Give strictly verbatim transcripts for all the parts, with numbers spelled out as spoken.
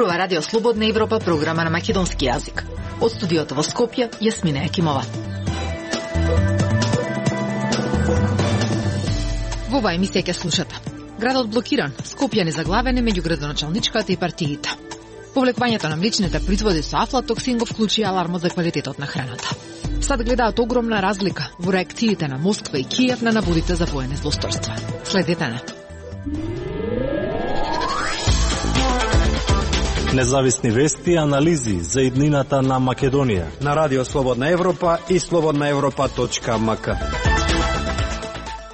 Зборува Радио Слободна Европа, програма на македонски јазик. Од студиото во Скопје, Јасмина Екимова. Во оваа емисија ќе слушате: градот блокиран, Скопје незаглавен меѓу градоначалничката и партиите. Повлекувањето на млечните производи со афлатоксин го вклучи алармот за квалитетот на храната. Сад гледаат огромна разлика во реакциите на Москва и Киев на наводите за воени злосторства. Следете на Независни вести и анализи за иднината на Македонија на Радио Слободна Европа и слободна европа точка ем ка.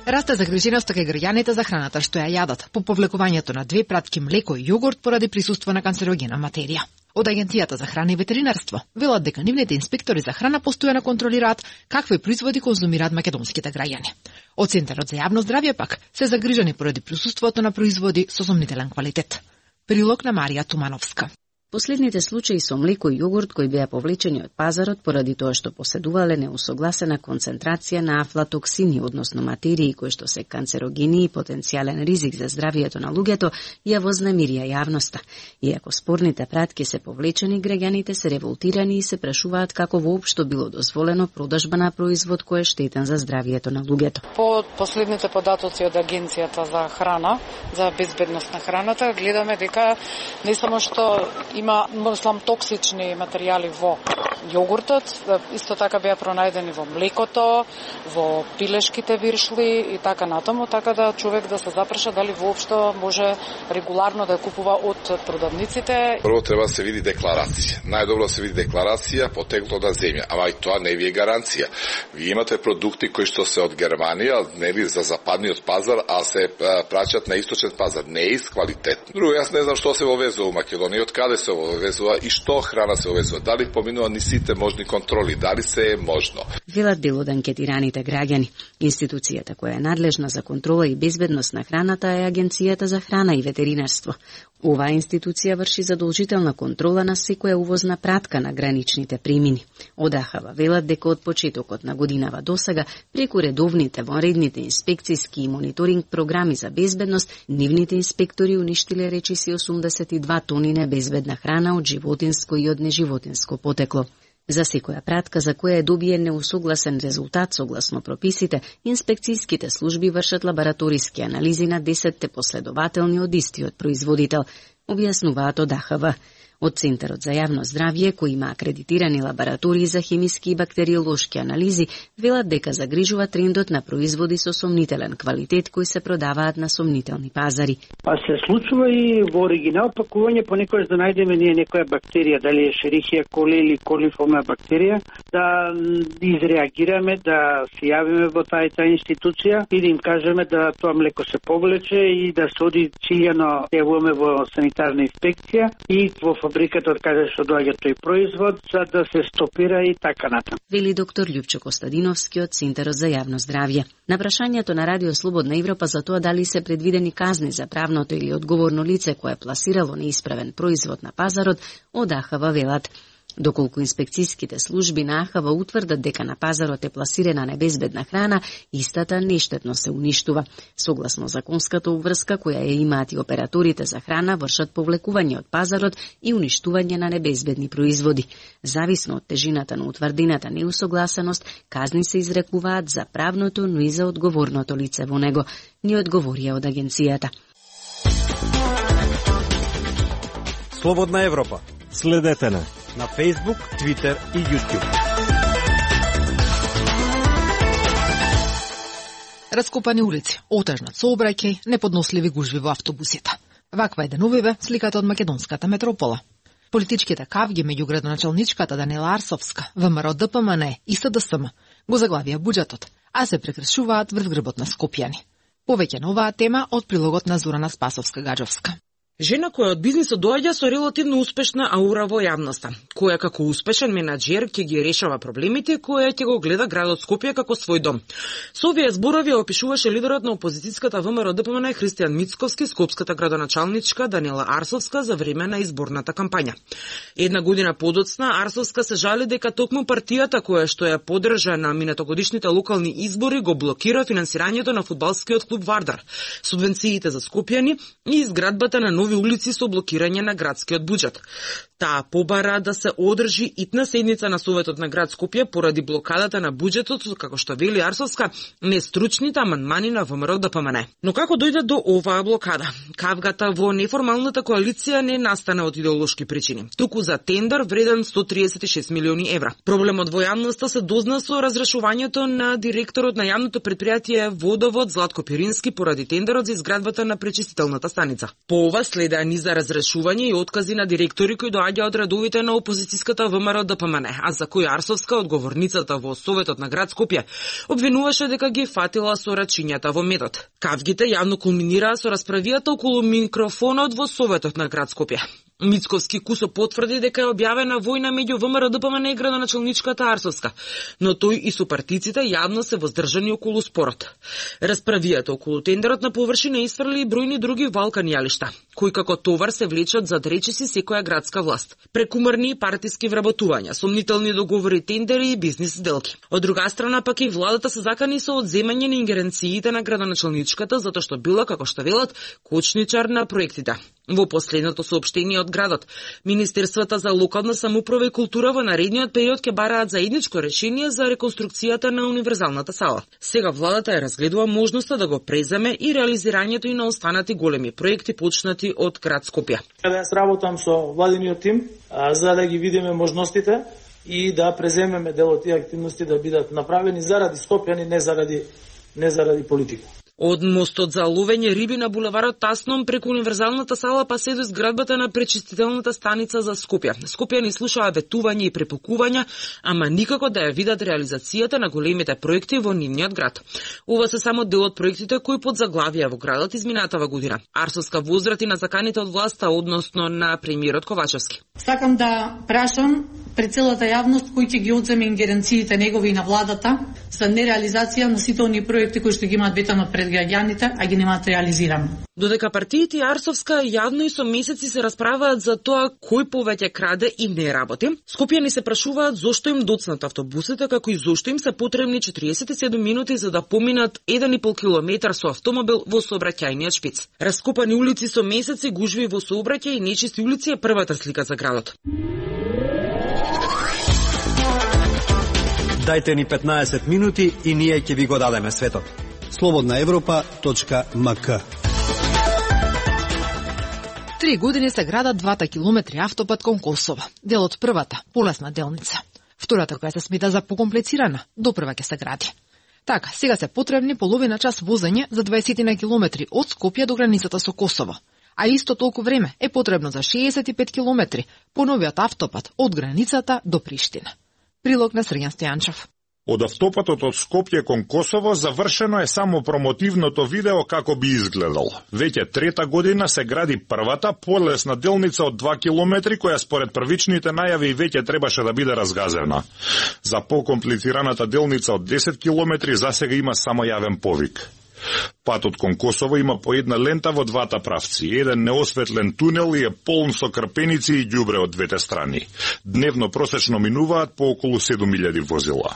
Расте загриженоста кај граѓаните за храната што ја јадат по повлекувањето на две пратки млеко и јогурт поради присуство на канцерогена материја. Од Агенцијата за храна и ветеринарство велат дека нивните инспектори за храна постојано контролираат какви производи конзумираат македонските граѓани. Од Центарот за јавно здравје пак се загрижени поради присуството на производи со сомнителен квалитет. Прилог на Марија Тумановска. Последните случаи со млеко и јогурт кои беа повлечени од пазарот поради тоа што поседувале неусогласена концентрација на афлатоксини, односно материи кои што се канцерогени и потенцијален ризик за здравието на луѓето, ја вознемирија јавноста. Иако спорните пратки се повлечени, граѓаните се револтирани и се прашуваат како воопшто било дозволено продажба на производ кој е штетен за здравието на луѓето. По последните податоци од Агенцијата за храна, за безбедност на храната, гледаме дека не само што има мислам токсични материјали во јогуртот, исто така беа пронајдени во млекото, во пилешките виршли и така натаму, така да човек да се запраша дали воопшто може регуларно да купува од продавниците. Прво треба да се види декларација. Најдобро да се види декларација потекло на земја, ама и тоа не ви е гаранција. Ви имате продукти кои што се од Германија, нели за западниот пазар, а се праќат на источен пазар, не е квалитетно. Друго, јас не знам што се вовезува во Македонија, од каде се вовезува и што храна се вовезува, дали поминува ни сите можни контроли, дали се е можно. Велат дел од анкетираните граѓани. Институцијата која е надлежна за контрола и безбедност на храната е Агенцијата за храна и ветеринарство. Оваа институција врши задолжителна контрола на секоја увозна пратка на граничните премини. Од АХВ велат дека од почетокот на годинава досега, преку редовните вонредните инспекциски и мониторинг програми за безбедност, нивните инспектори уништиле речиси осумдесет и две тони небезбедна храна од животинско и од неживотинско потекло. За секоја пратка за која е добиен неусогласен резултат согласно прописите, инспекцијските служби вршат лабораториски анализи на десетте последователни од истиот производител, објаснуваат од АХВ. Од Центарот за јавно здравје, кој има акредитирани лаборатории за хемиски и бактериолошки анализи, велат дека загрижува трендот на производи со сомнителен квалитет кои се продаваат на сомнителни пазари. Па се случува и во оригинал пакување понекогаш да најдеме ние некоја бактерија, дали е Шерихија коли или колиформа бактерија, да изреагираме, да се јавиме во тајта институција и да им кажеме да тоа млеко се повлече и да се оди циљано јавуваме во санитарна инспекција и во фабриката од каде што доаѓа тој производ, за да се стопира и така натаму. Вели доктор Љупчо Костадиновски од Центарот за јавно здравје. На прашањето на Радио Слободна Европа за тоа дали се предвидени казни за правното или одговорно лице кое пласирало неисправен производ на пазарот, од АХВ велат: доколку инспекцијските служби на АХВ утврдат дека на пазарот е пласирана небезбедна храна, истата нештетно се уништува. Согласно законската обврска која ја имаат и операторите за храна, вршат повлекување од пазарот и уништување на небезбедни производи. Зависно од тежината на утврдената неусогласеност, казни се изрекуваат за правното, но и за одговорното лице во него, ни одговорија од агенцијата. Слободна Европа. Следете на на Facebook, Twitter и YouTube. Раскопани улици, отежнат сообраќај, неподносливи гужви во автобусите. Ваква е деновиве сликата од македонската метропола. Политичките кавги меѓу градоначалничката Даниела Арсовска, ВМРО Д П М Н и С Д С М го заглавија буџетот, а се прекршуваат врз грбот на скопјани. Повеќе на оваа тема од прилогот на Зорана Спасовска-Гаджовска. Жена која од бизнисот доаѓа со релативно успешна аура во јавноста, која како успешен менаџер ќе ги решава проблемите, која ќе го гледа градот Скопје како свој дом. Со овие зборови опишуваше лидерот на опозицијската ВМРО Д П М Н Христијан Мицковски, скопската градоначалничка Даниела Арсовска за време на изборната кампања. Една година подоцна Арсовска се жали дека токму партијата која што ја поддржа на минатогодишните локални избори го блокира финансирањето на фудбалскиот клуб Вардар, субвенциите за скопјани и изградбата на нови нови улици со блокирање на градскиот буџет. Таа побара да се одржи итна седница на Советот на град Скопје поради блокадата на буџетот, како што вели Арсовска, нестручните амандмани на ВМРО Д П М Н. Но како дојде до оваа блокада? Кавгата во неформалната коалиција не настана од идеолошки причини, туку за тендер вреден сто триесет и шест милиони евра. Проблемот во јавноста се дозна со разрешувањето на директорот на јавното предпријатие Водовод Златко Пирински поради тендерот за изградбата на пречистителната станица. По ова следеа низ за разрешување и откази на директори кои доаѓа од редовите на опозицијската ВМРО Д П М Н, а за кој Арсовска, одговорницата во Советот на град Скопје, обвинуваше дека ги фатила со рачињата во медот. Кавгите јавно кулминираа со расправијата околу микрофонот во Советот на град Скопје. Мицковски Кусо потврди дека е објавена војна меѓу ВМРО Д П М Н и градоначалничката Арсовска, но тој и сопартиците јавно се воздржани околу спорот. Расправијата околу тендерот на површина исфрли и бројни други валкани јалишта, кои како товар се влечат зад речиси секоја градска власт. Прекумарни партиски вработувања, сомнителни договори, тендери и бизнис сделки. Од друга страна пак и владата се закани со одземање на ингеренциите на градоначалничката затоа што била, како што велат, кочничар на проектите. Во последното соопштение од градот, Министерствата за локална самоуправа и култура во наредниот период ќе бараат заедничко решение за реконструкцијата на универзалната сала. Сега владата ја разгледува можноста да го преземе и реализирањето и на останати големи проекти почнати од град Скопје. Јас работам со владиниот тим а, за да ги видиме можностите и да преземеме дел од тие активности да бидат направени заради скопјани, не заради не заради политика. Од мостот за ловење риби на булеварот Тасном преку универзалната сала па се до изградбата на пречистителната станица за Скопје. Скопјани слушаа ветување и препукувања, ама никако да ја видат реализацијата на големите проекти во нивниот град. Ова се само дел од проектите кои подзаглавија во градот изминатава година. Арсовска возрати на заканите од власта, односно на премиерот Ковачевски. Сакам да прашам пред целата јавност кој ќе ги одземе ингеренциите негови и на владата за нереализација на сите оние проекти кои што ги имаат ветано пред граѓаните, а ги немаат реализирано. Додека партиите и Арсовска јавно и со месеци се расправаат за тоа кој повеќе краде и не работи, скопјани се прашуваат зошто им доцнат автобусите, како и зошто им се потребни четириесет и седум минути за да поминат еден и пол километар со автомобил во сообраќајниот шпиц. Раскопани улици со месеци, гужви во сообраќај и нечисти улици е првата слика за градот. Дајте ни петнаесет минути и ние ќе ви го дадеме светот. слободна европа точка м к. Три години се градат двата километри автопат кон Косово. Дел од првата, полесна делница. Втората, која се смета за покомплицирана, допрва ќе се гради. Така, сега се потребни половина час возење за дваесет на километри од Скопје до границата со Косово. А исто толку време е потребно за шеесет и пет километри по новиот автопат од границата до Приштина. Прилог на Срѓан Стојанчев. Од автопатот од Скопје кон Косово завршено е само промотивното видео како би изгледал. Веќе трета година се гради првата полесна делница од два километри која според првичните најави веќе требаше да биде разгазена. За покомплицираната делница од десет километри засега има само јавен повик. Патот кон Косово има по една лента во двата правци, еден неосветлен тунел и е полн со крпеници и ѓубре од двете страни. Дневно просечно минуваат по околу седум илјади возила.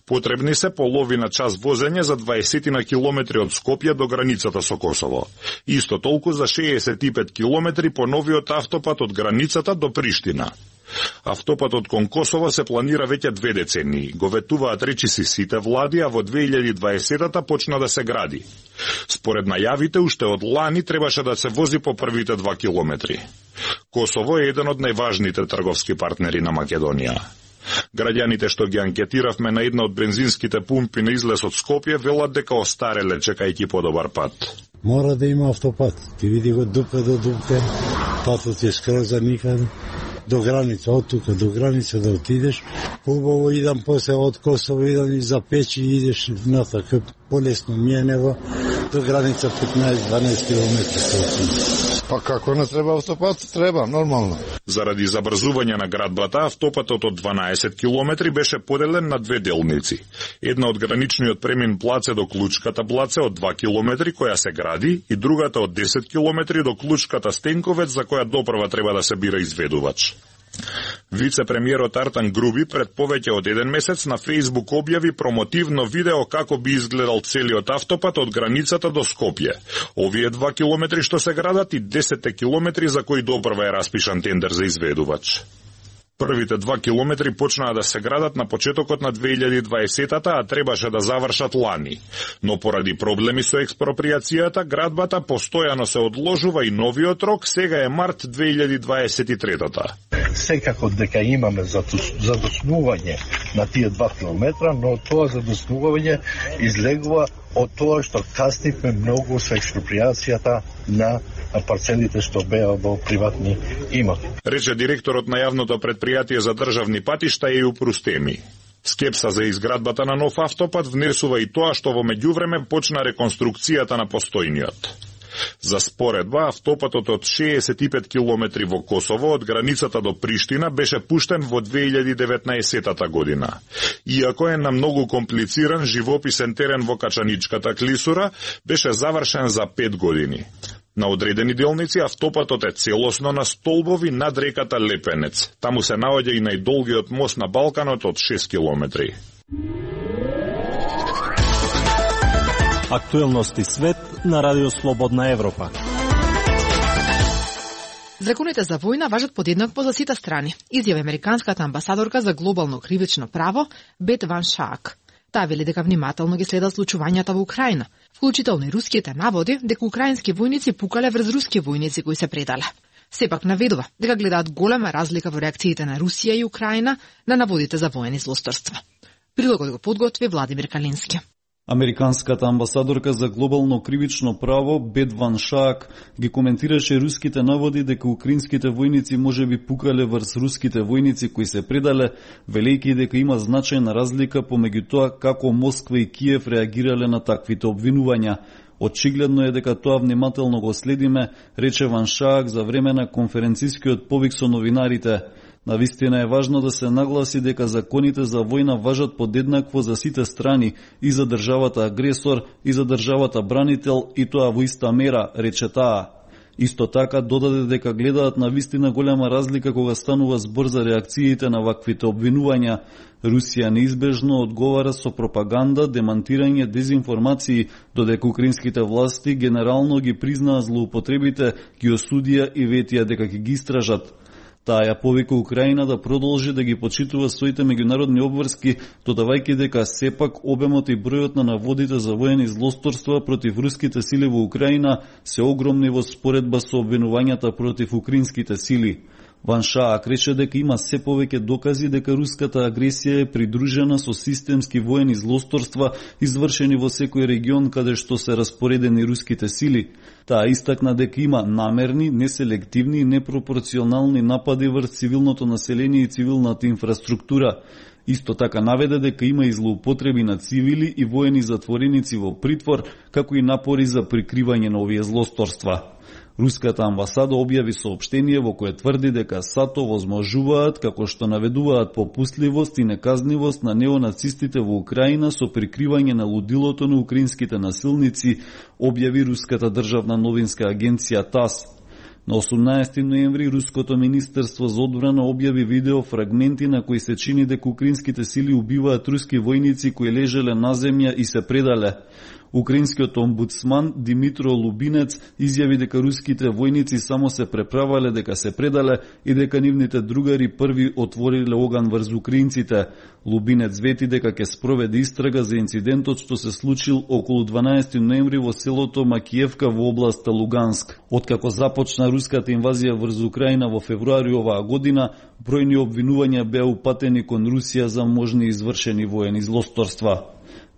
Потребни се половина час возење за дваесет на километри од Скопје до границата со Косово. Исто толку за шеесет и пет километри по новиот автопат од границата до Приштина. Автопатот кон Косово се планира веќе две децении. Го ветуваат речиси сите влади, а во две илјади и дваесета почна да се гради. Според најавите, уште од лани требаше да се вози по првите два километри. Косово е еден од најважните трговски партнери на Македонија. Граѓаните што ги анкетиравме на една од бензинските пумпи на излез од Скопје велат дека остареле чекајќи подобар пат. Мора да има автопат. Ти види го дупка до дупка, патот е скроз за никаде. До граница, од тука до граница да отидеш. Убаво идам после од Косово, идам и за Печи и идеш на така полесно мие него до граница петнаесет-дванаесет километри. Па како не треба автопат? Треба, нормално. Заради забрзување на градбата, автопатот од дванаесет километри беше поделен на две делници. Една од граничниот премин Блаце до Клучката Блаце од два километри која се гради и другата од десет километри до Клучката Стенковец за која допрва треба да се бира изведувач. Вице-премиерот Артан Груби пред повеќе од еден месец на Facebook објави промотивно видео како би изгледал целиот автопат од границата до Скопје. Овие два километри што се градат и десет километри за кои допрва е распишан тендер за изведувач. Првите два километри почнаа да се градат на почетокот на две илјади и дваесетата, а требаше да завршат лани. Но поради проблеми со експроприацијата, градбата постојано се одложува и новиот рок сега е март две илјади дваесет и третата. Секако дека имаме задоснување на тие два километра, но тоа задоснување излегува од тоа што касниме многу со експроприацијата на парцелите што беа во приватни имоти. Рече директорот на јавното предпријатие за државни патишта Еју Прустеми. Скепса за изградбата на нов автопат внесува и тоа што во меѓувреме почна реконструкцијата на постојниот. За споредба, автопатот од шеесет и пет километри во Косово од границата до Приштина беше пуштен во две илјади и деветнаесетата година. Иако е на многу комплициран живописен терен во Качаничката клисура, беше завршен за пет години. На одредени делници автопатот е целосно на столбови над реката Лепенец. Таму се наоѓа и најдолгиот мост на Балканот од шест километри. Актуелности свет на Радио Слободна Европа. Законите за војна важат подеднакво за сите страни, изјави американската амбасадорка за глобално кривично право Бет Ван Шаак. Таа вели дека внимателно ги следа случувањата во Украина, вклучително и руските наводи дека украински војници пукале врз руски војници кои се предале. Сепак наведува дека гледаат голема разлика во реакциите на Русија и Украина на наводите за воени злосторства. Прилогот го подготви Владимир Калински. Американската амбасадорка за глобално кривично право Бет Ван Шаак ги коментираше руските наводи дека украинските војници можеби пукале врз руските војници кои се предале, велејќи дека има значајна разлика помеѓу тоа како Москва и Киев реагирале на таквите обвинувања. Очигледно е дека тоа внимателно го следиме, рече Ван Шаак за време на конференцискиот повик со новинарите. Навистина е важно да се нагласи дека законите за војна важат подеднакво за сите страни, и за државата агресор, и за државата бранител, и тоа во иста мера, рече таа. Исто така додаде дека гледаат навистина голема разлика кога станува збор за реакциите на ваквите обвинувања. Русија неизбежно одговара со пропаганда, демантирање, дезинформации, додека украинските власти генерално ги признаа злоупотребите, ги осудија и ветија дека ќе ги истражат. Таа ја повика Украина да продолжи да ги почитува своите меѓународни обврски, додавајќи дека сепак обемот и бројот на наводите за воени злосторства против руските сили во Украина се огромни во споредба со обвинувањата против украинските сили. Ван Шаак рече дека има се повеќе докази дека руската агресија е придружена со системски воени злосторства извршени во секој регион каде што се распоредени руските сили. Таа истакна дека има намерни, неселективни и непропорционални напади врз цивилното население и цивилната инфраструктура. Исто така наведе дека има и злоупотреби на цивили и воени затвореници во притвор, како и напори за прикривање на овие злосторства. Руската амбасада објави соопштение во кое тврди дека САТО возможуваат, како што наведуваат попустливост и неказнивост на неонацистите во Украина со прикривање на лудилото на украинските насилници, објави руската државна новинска агенција ТАСС. На осумнаесети ноември Руското министерство за одбрана објави видео фрагменти на кои се чини дека украинските сили убиваат руски војници кои лежеле на земја и се предале. Украинскиот омбудсман Димитро Лубинец изјави дека руските војници само се преправале дека се предале и дека нивните другари први отвориле оган врз украинците. Лубинец вети дека ќе спроведе истрага за инцидентот што се случил околу дванаесети ноември во селото Макиевка во областа Луганск. Откако започна руската инвазија врз Украина во февруари оваа година, бројни обвинувања беа упатени кон Русија за можни извршени воени злосторства.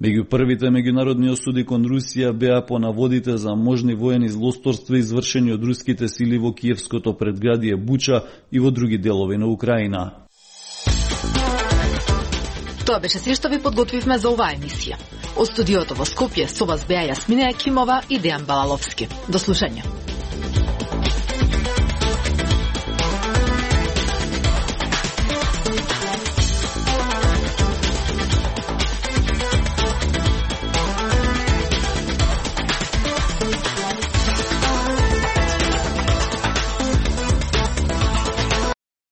Меѓу првите меѓународни осуди кон Русија беа по наводите за можни воени злосторства извршени од руските сили во киевското предградие Буча и во други делови на Украина. Тоа беше се што ви подготвивме за оваа емисија. Од студиото во Скопје со вас беа Јасмина Екимова и Дејан Балаловски. До слушање.